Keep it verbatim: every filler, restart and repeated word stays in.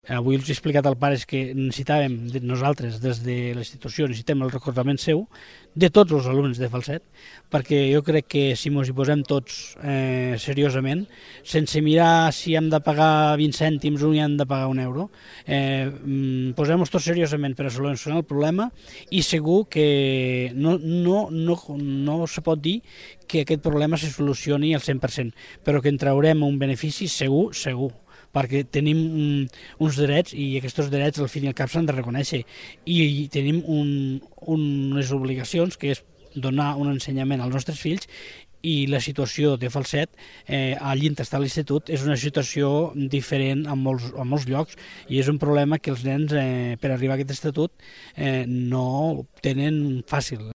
Avui els he explicat als pares que necessitàvem, nosaltres, des de la institució, necessitem el recordament seu de tots els alumnes de falset, perquè jo crec que si ens hi posem tots eh, seriosament, sense mirar si hem de pagar vint cèntims o hi hem de pagar un euro, eh, posem-nos tots seriosament per a solucionar el problema i segur que no, no, no, no se pot dir que aquest problema se solucioni al cent per cent, però que en traurem un benefici segur, segur, perquè tenim um, uns drets i aquests drets al fin i al cap s'han de reconèixer i, i tenim un, unes obligacions que és donar un ensenyament als nostres fills i la situació de falset eh, allí on està l'institut és una situació diferent en molts, en molts llocs i és un problema que els nens eh, per arribar a aquest estatut eh, no tenen fàcil.